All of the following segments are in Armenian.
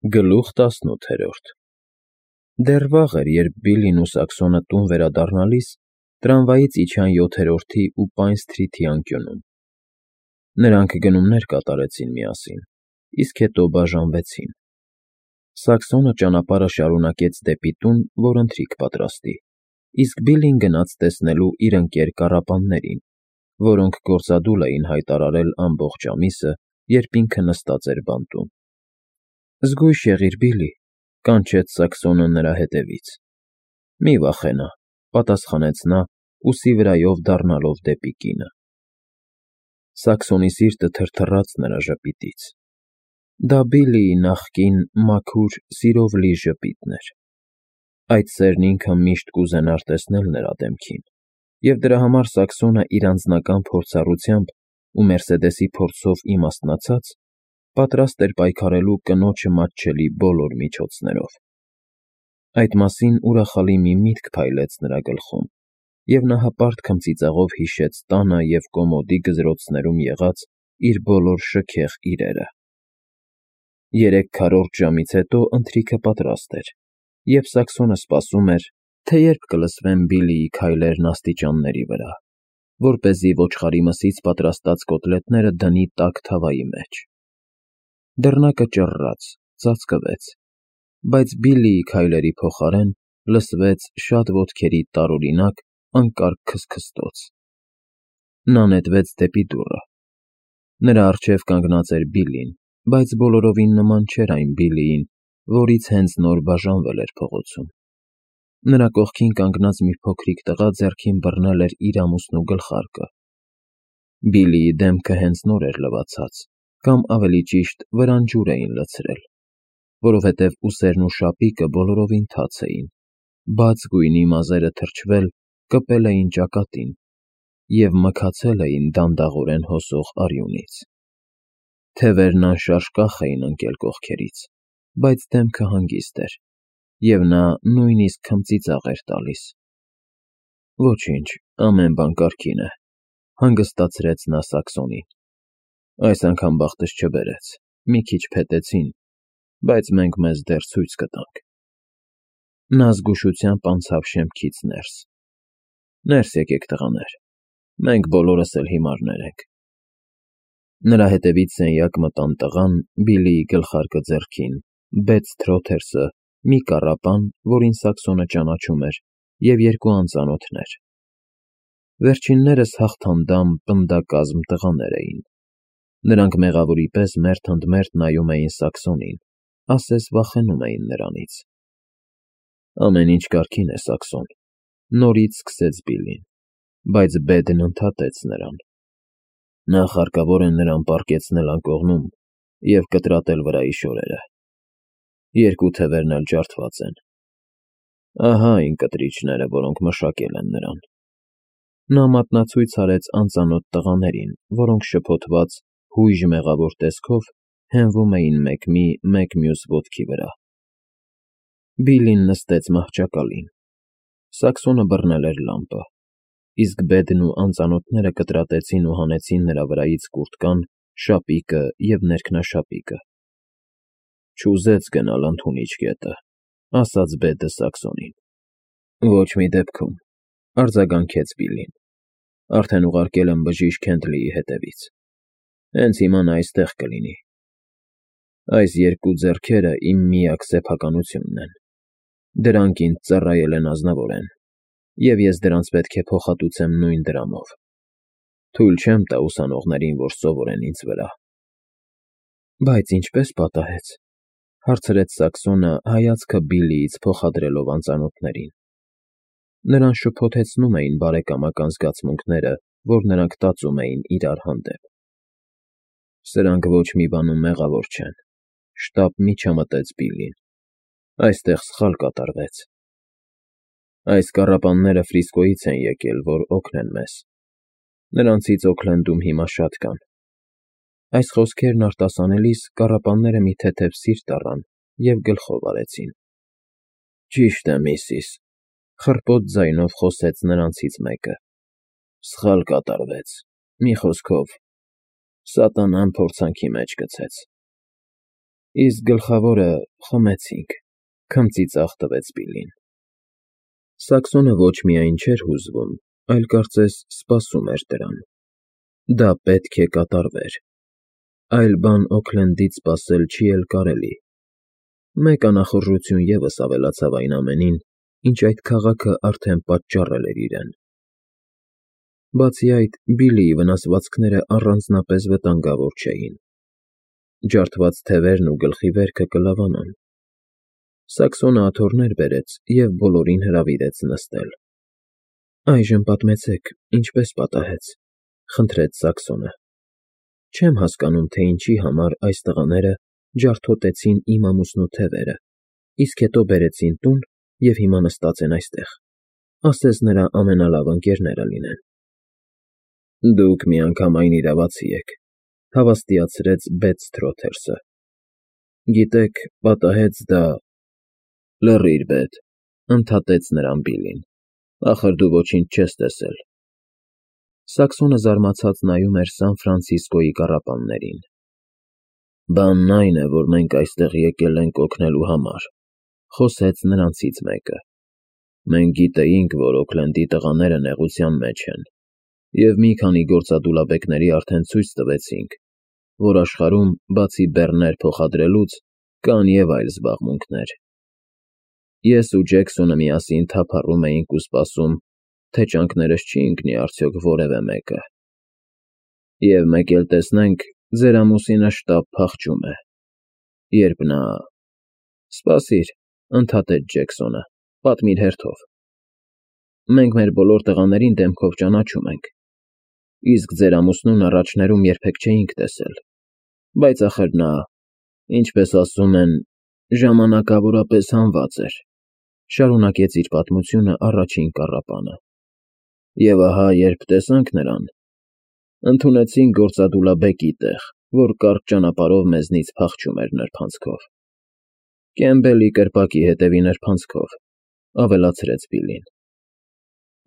Գլուխ 18 Դեռ վաղ էր, երբ Բիլլին ու Սաքսոնը տուն վերադառնալիս տրամվայից իջան 7-րդի ու Պայն Սթրիթի անկյունում. նրանք գնումներ կատարեցին միասին, իսկ հետո բաժանվեցին. Սաքսոնը ճանապարհը շարունակեց դեպի տուն, որ ընթրիք պատրաստի, իսկ Բիլլին գնաց տեսնելու իր ընկեր կառապաններին, որոնք գործադուլ էին հայտարարել ամբողջ ամիսը, երբ ինքը նստած էր բանտում։ «Զգույշ եղիր, Բիլլի», կանչեց Սաքսոնը նրա հետևից։ «Մի վախենա», պատասխանեց նա, ուսի վրայով դառնալով դեպի կինը։ Սաքսոնի սիրտը թրթռաց նրա ժպիտից. դա Բիլլիի նախկին մաքուր, սիրով լի ժպիտն էր։ Այդ սերն ինքը միշտ կուզենար տեսնել նրա դեմքին, և դրա համար Սաքսոնը իր անձնական փորձառությամբ ու Մերսեդեսի փորձով իմաստնացած պատրաստ էր պայքարելու կնոջը մատչելի բոլոր միջոցներով։ Այդ մասին ուրախալի մի միտք փայլեց նրա գլխում, և նա հպարտ քմծիծաղով հիշեց տանը և կոմոդի գզրոցներում եղած իր բոլոր շքեղ իրերը։ 3/4 ժամից հետո ընթրիքը պատրաստ էր, և Սաքսոնը սպասում էր, թե երբ կլսվեն Բիլլիի քայլերն աստիճանների վրա, որպեսզի ոչխարի մսից պատրաստած կոտլետները դնի տաք թավայի մեջ։ Դռնակը ճռռաց, ծածկվեց, բայց Բիլլիի քայլերի փոխարեն լսվեց շատ ոտքերի տարօրինակ, անկարգ քստքստոց։ Նա նետվեց դեպի դուռը։ Նրա առջև կանգնած էր Բիլլին, բայց բոլորովին նման չէր այն Բիլլիին, որից հենց նոր բաժանվել էր փողոցում։ Նրա կողքին կանգնած մի փոքրիկ տղա ձեռքին բռնել էր իր ամուսնու գլխարկը։ Բիլլիի դեմքը հենց նոր էր լվացած, կամ ավելի ճիշտ վրան ջուր էին լցրել, որովհետև ուսերն ու շապիկը բոլորովին թաց էին, բաց գույնի մազերը թրջվել, կպել էին ճակատին և մքացել էին դանդաղորեն հոսող արյունից։ Թևերն անշարժ կախ էին ընկել կողքերից, բայց դեմքը հանգիստ էր, և նա նույնիսկ քմծիծաղ էր տալիս։ «Ոչինչ, ամեն բան կարգին է», հանգստացրեց նա Սաքսոնին։ «Այս անգամ բախտս չբերեց, մի քիչ փետեցին, բայց մենք մեզ դեռ ցույց կտանք»։ Նա զգուշությամբ անցավ շեմքից ներս։ «Ներս եկեք, տղաներ, մենք բոլորս էլ հիմարներ ենք»։ Նրա հետևից սենյակ մտան տղան, Բիլլիի գլխարկը ձեռքին, Բեթ Սթրոթերսը, մի կառապան, որին Սաքսոնը ճանաչում էր, և երկու անծանոթներ։ Վերջիններս հաղթանդամ, պնդակազմ տղաներ էին։ Նրանք մեղավորի պես մերթ ընդ մերթ նայում էին Սաքսոնին, ասես վախենում էին նրանից։ «Ամեն ինչ կարգին է, Սաքսոն», նորից սկսեց Բիլլին, բայց Բեդն ընդհատեց նրան։ «Նախ հարկավոր է նրան պառկեցնել անկողնում և կտրատել վրայի շորերը։ Երկու թևերն էլ ջարդված են։ Ահա այն կտրիչները, որոնք մշակել են նրան»։ Նա մատնացույց արեց անծանոթ տղաներին, որոնք շփոթված, հույժ մեղավոր տեսքով հենվում էին մեկի, մեկ մյուս ոտքի վրա։ Բիլլին նստեց մահճակալին։ Սաքսոնը բռնել էր լամպը, իսկ Բեդն ու անծանոթները կտրատեցին ու հանեցին նրա վրայից կուրտկան, շապիկը և ներքնաշապիկը։ «Չուզեց գնալ ընդունիչ կետը», ասաց Բեդը Սաքսոնին։ «Ոչ մի դեպքում», արձագանքեց Բիլլին։ «Արդեն ուղարկել եմ բժիշկ Հենդլիի հետևից։ Հենց հիմա նա այստեղ կլինի։ Այս երկու ձեռքերը իմ միակ սեփականությունն են։ Դրանք ինձ ծառայել են ազնվորեն, և ես դրանց պետք է փոխհատուցեմ նույն դրամով։ Թույլ չեմ տա ուսանողներին, որ սովորեն ինձ վրա»։ «Բայց ինչպե՞ս պատահեց», հարցրեց Սաքսոնը, հայացքը Բիլլիից փոխադրելով անծանոթներին։ Նրան շփոթեցնում էին բարեկամական զգացմունքները, որ նրանք տածում էին իրար հանդեպ։ «Սրանք ոչ մի բանում մեղավոր չեն», շտապ միջամտեց Բիլլին։ «Այստեղ սխալ կատարվեց։ Այս կառապանները Ֆրիսկոյից են եկել, որ օգնեն մեզ։ Նրանցից Օքլենդում հիմա շատ կան»։ Այս խոսքերն արտասանելիս կառապանները մի թեթև սիրտ առան և գլխով արեցին։ «Ճիշտ է, միսիս», խռպոտ ձայնով խոսեց նրանցից մեկը։ «Սխալ կատարվեց, մի խոսքով, սատանան փորձանքի մեջ գցեց»։ Իսկ գլխավորը խմեցինք, քմծիծաղ տվեց Բիլլին։ Սաքսոնը ոչ միայն չէր հուզվում, այլ կարծես սպասում էր դրան։ Դա պետք է կատարվեր։ Այլ բան Օքլենդից սպասել չի էլ կարելի։ Մեկ անախորժություն ևս ավելացավ այն ամենին, ինչ այդ քաղաքը արդեն պատճառել էր իրեն։ Բացի այդ, Բիլլիի վնասվածքները առանձնապես վտանգավոր չէին։ Ջարդված թևերն ու գլխի վերքը կլավանան։ Սաքսոնը աթոռներ բերեց և բոլորին հրավիրեց նստել։ «Այժմ պատմեցեք, ինչպես պատահեց», խնդրեց Սաքսոնը։ «Չեմ հասկանում, թե ինչի համար այս տղաները ջարդոտեցին իմ ամուսնու թևերը, իսկ հետո բերեցին տուն և հիմա նստած են այստեղ, ասես նրա ամենալավ ընկերները լինեն»։ «Դուք միանգամայն իրավացի եք», հավաստիացրեց Բեդսթրոթերսը։ «Գիտեք, պատահեց դա…» «Լռիր, Բեդ», ընդհատեց նրան Բիլլին, «ախր դու ոչինչ չես տեսել»։ Սաքսոնը զարմացած նայում էր Սան Ֆրանցիսկոյի կառապաններին։ «Բանն այն է, որ մենք այստեղ եկել ենք օգնելու համար», խոսեց նրանցից մեկը։ «Մենք գիտեինք, որ Օքլենդի տղաները նեղության մեջ են, և մի քանի գործադուլաբեկների արդեն ցույց տվեցինք, որ աշխարհում, բացի բեռներ փոխադրելուց, կան և այլ զբաղմունքներ։ Ես ու Ջեքսոնը միասին թափառում էինք ու սպասում, թե ճանկներս չի ընկնի արդյոք որևէ մեկը։ Եվ մեկ էլ տեսնենք, ձեր ամուսինը շտապ փախչում է, երբ նա… Սպասիր, ընդհատեց Ջեքսոնը, պատմիր հերթով։ Մենք մեր բոլոր տղաներին դեմքով ճանաչում ենք, իսկ ձեր ամուսնուն առաջներում երբեք չէինք տեսել, բայց ախր նա, ինչպես ասում են, ժամանակավորապես հանված էր, շարունակեց իր պատմությունը առաջին կառապանը։ Եվ ահա, երբ տեսանք նրան, ընդունեցինք գործադուլաբեկի տեղ, որ կարճ ճանապարհով մեզնից փախչում էր նրբանցքով։ Կեմբելի կրպակի հետևի նրբանցքով, ավելացրեց Բիլլին։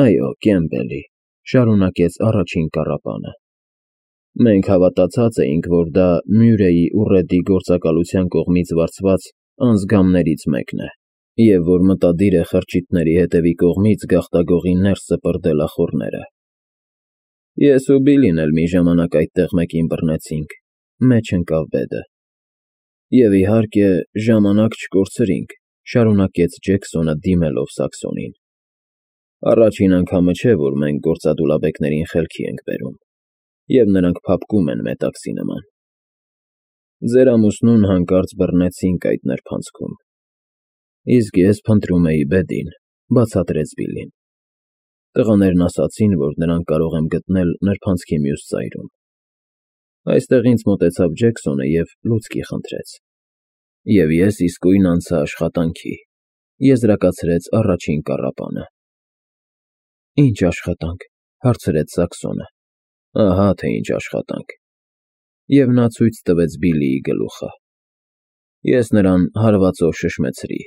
Այո, Կեմբելի, շարունակեց առաջին կառապանը։ Մենք հավատացած էինք, որ դա Մյուրեյի ու Ռեդի գործակալության կողմից վարձված անձգամներից մեկն է, և որ մտադիր է խրճիթների հետևի կողմից գաղտագողի ներս սպրդել ախոռները։ Ես ու Բիլլին էլ մի ժամանակ այդտեղ մեկին բռնեցինք, մեջ ընկավ Բեդը։ Եվ իհարկե, ժամանակ չկորցրինք, շարունակեց Ջեքսոնը դիմելով Սաքսոնին։ Առաջին անգամը չէ, որ մենք գործադուլաբեկներին խելքի ենք բերում, և նրանք փափկում են մետաքսի նման։ Ձեր ամուսնուն հանկարծ բռնեցինք այդ նրբանցքում։ Իսկ ես փնտրում էի Բեդին, բացատրեց Բիլլին։ Տղաներն ասացին, որ նրանք կարող եմ գտնել նրբանցքի մյուս ծայրում։ Այստեղ ինձ մոտեցավ Ջեքսոնը և լուցկի խնդրեց։ Եվ ես իսկույն անցա աշխատանքի, եզրակացրեց առաջին կառապանը։ Ինչ աշխատանք, հարցրեց Սաքսոնը։ Ահա թե ինչ աշխատանք։ Եվ նա ցույց տվեց Բիլլիի գլուխը։ Ես նրան հարվածով շշմեցրի։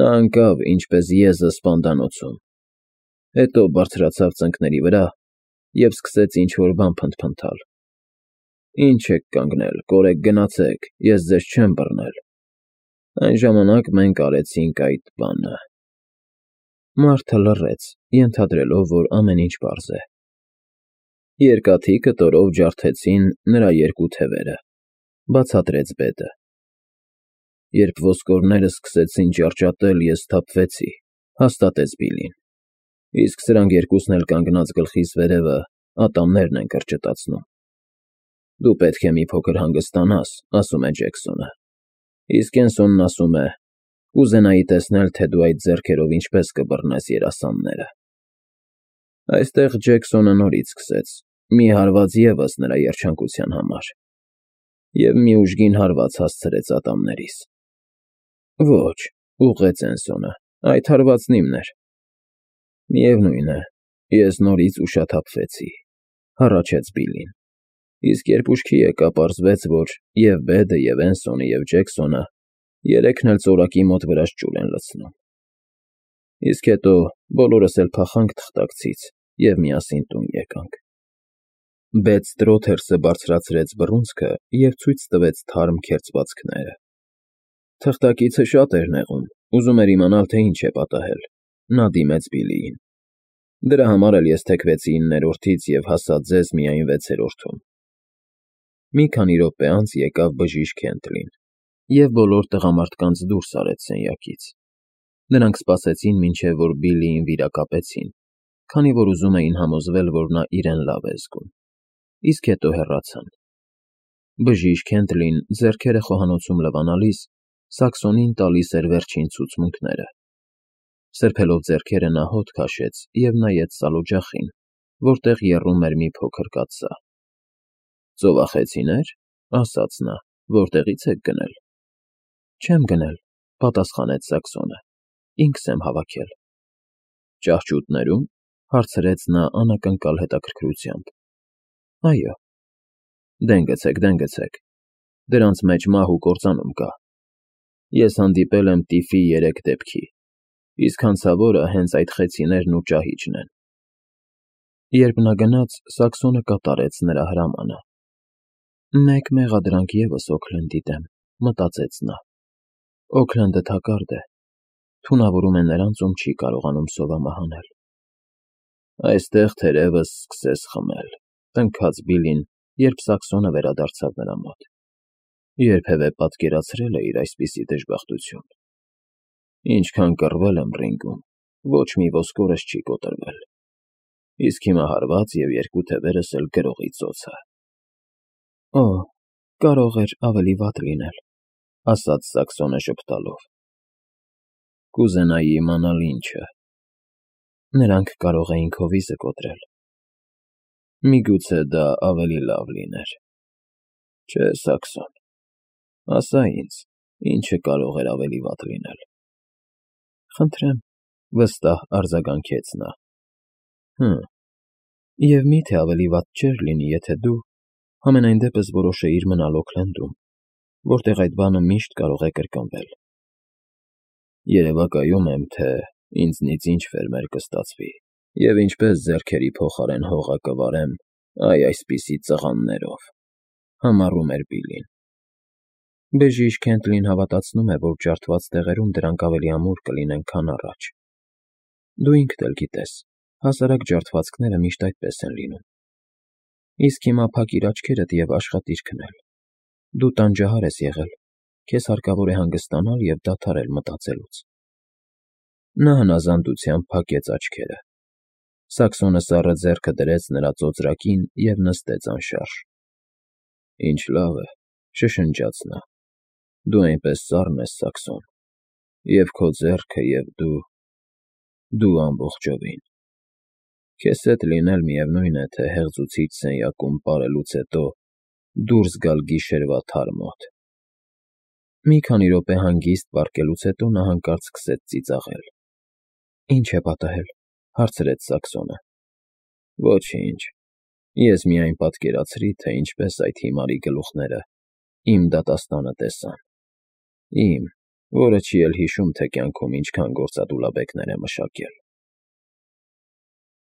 Նա ընկավ, ինչպես եզը սպանդանոցում, հետո բարձրացավ ծնկների վրա և սկսեց ինչ֊որ բան փնթփնթալ։ Ինչ եք կանգնել, կորեք գնացեք, ես ձեզ չեմ բռնել։ Այն ժամանակ մենք արեցինք այդ բանը։ Մարդը լռեց, ենթադրելով, որ ամեն ինչ պարզ է։ Երկաթի կտորով ջարդեցին նրա երկու թևերը, բացատրեց Բեդը։ Երբ ոսկորները սկսեցին ճառճատել, ես սթափվեցի, հաստատեց Բիլլին։ Իսկ սրանք երկուսն էլ կանգնած գլխիս վերևը ատամներն են կրճտացնում։ Դու պետք է մի փոքր հանգստանաս, ասում է Ջեքսոնը։ Իսկ Էնսոնն ասում է. կուզենայի տեսնել, թե դու այդ ձեռքերով ինչպես կբռնես երասանները։ Այստեղ Ջեքսոնը նորից սկսեց, մի հարված ևս նրա երջանկության համար, և մի ուժգին հարված հասցրեց ատամներիս։ Ոչ, ուղղեց Էնսոնը, այդ հարվածն իմն էր։ Միևնույն է, ես նորից ուշաթափվեցի, հառաչեց Բիլլին։ Իսկ երբ ուշքի եկա, պարզվեց, որ և Բեդը, և Էնսոնը, և Ջեքսոնը երեքն էլ ծորակի մոտ վրաս ջուր են լցնում։ Իսկ հետո բոլորս էլ փախանք թղթակցից և միասին տուն եկանք։ Բեդ Ստրոթերսը բարձրացրեց բռունցքը և ցույց տվեց թարմ քերծվածքները։ Թղթակիցը շատ էր նեղում, ուզում էր իմանալ, թե ինչ է պատահել։ Նա դիմեց Բիլիին։ Դրա համար էլ ես թեքվեցի 9-րդից և հասա ձեզ միայն 6-րդում։ Մի քանի րոպե անց եկավ բժիշկ Քենթլին և բոլոր տղամարդկանց դուրս արեց սենյակից։ Նրանք սպասեցին, մինչև որ Բիլիին վիրակապեցին, քանի որ ուզում էին համոզվել, որ նա իրեն լավ է զգում, իսկ հետո հեռացան։ Բժիշկ Քենթլին, ձեռքերը խոհանոցում լվանալիս, Սաքսոնին տալիս էր վերջին ցուցմունքները։ Սրբելով ձեռքերը նա հոտ քաշեց և նայեց սալօջախին, որտեղ եռում էր մի փոքր կաթսա։ «Ծովախեցինե՞ր,» ասաց նա, «որտեղի՞ց եք գնել»։ «Չեմ գնել,» պատասխանեց Սաքսոնը, «ինքս եմ հավաքել»։ «Ճահճուտներո՞ւմ,» հարցրեց նա անակնկալ հետաքրքրությամբ։ «Այո»։ «Դեն գցեք, դրանց մեջ մահ ու կործանում կա։ Ես հանդիպել եմ տիֆի 3 դեպքի, իսկ հանցավորը հենց այդ խեցիներն ու ճահիճն են»։ Երբ նա գնաց, Սաքսոնը կատարեց նրա հրամանը։ «Մեկ մեղադրանք ևս Օքլենդի դեմ», մտածեց նա։ «Օքլենդը թակարդ է, թունավորում է նրանց, ում չի կարողանում սովամահանել»։ «Այստեղ թերևս սկսես խմել», տնքաց Բիլին, երբ Սաքսոնը վերադարձավ նրա մոտ։ «Երբևէ պատկերացրել էիր այսպիսի դժբախտություն։ Ինչքան կռվել եմ ռինգում, ոչ մի ոսկորս չի կոտրվել, իսկ հիմա հարված և 2 թևերս էլ գրողի ծոցը»։ «Օ, կարող էր ավելի վատ լինել», ասաց Սաքսոնը ժպտալով։ «Կուզենայի իմանալ ինչը»։ «Նրանք կարող էին քո վիզը կոտրել»։ «Միգուցե դա ավելի լավ լիներ։ Չէ, Սաքսոն, ասա ինձ, ինչը կարող էր ավելի վատ լինել»։ «Խնդրեմ», վստահ արձագանքեց նա։ Եվ մի՞թե ավելի վատ չէր լինի, եթե դու համենայն դեպս որոշեիր մնալ Օքլենդում, որտեղ այդ բանը միշտ կարող է կրկնվել։ Երևակայում եմ, թե ինձնից ինչ ֆերմեր կստացվի և ինչպես ձեռքերի փոխարեն հողը կվարեմ այսպիսի ծղաններով», համառում էր Բիլին։ Բժիշկ Քենթլին հավատացնում է, որ ջարդված տեղերում դրանք ավելի ամուր կլինեն, քան առաջ։ Դու ինքդ էլ գիտես, հասարակ ջարդվածքները միշտ այդպես են լինում։ Իսկ հիմա փակիր աչքերդ և աշխատիր քնել։ Դու տանջահար ես եղել, քեզ հարկավոր է հանգստանալ և դադարել մտածելուց։ Նա հնազանդությամբ փակեց աչքերը։ Սաքսոնը սառը ձեռքը դրեց նրա ծոծրակին և նստեց անշարժ։ «Ինչ լավ է,» շշնջաց նա, «դու այնպես սառն ես, Սաքսոն, և քո ձեռքը, և դու ամբողջովին։ Քեզ հետ լինել միևնույն է, թե հեղձուցիչ սենյակում պարելուց հետո դուրս գալ գիշերվա թար մոտ»։ Մի քանի րոպե հանգիստ պառկելուց հետո նա հանկարծ սկսեց ծիծաղել։ «Ի՞նչ է պատահել,» հարցրեց Սաքսոնը։ «Ոչինչ, ես միայն պատկերացրի, թե ինչպես այդ հիմարի գլուխները իմ դատաստանը տեսան։ Իմ, որը չի էլ հիշում, թե կյանքում ինչքան գործադուլաբեկներ է մշակել»։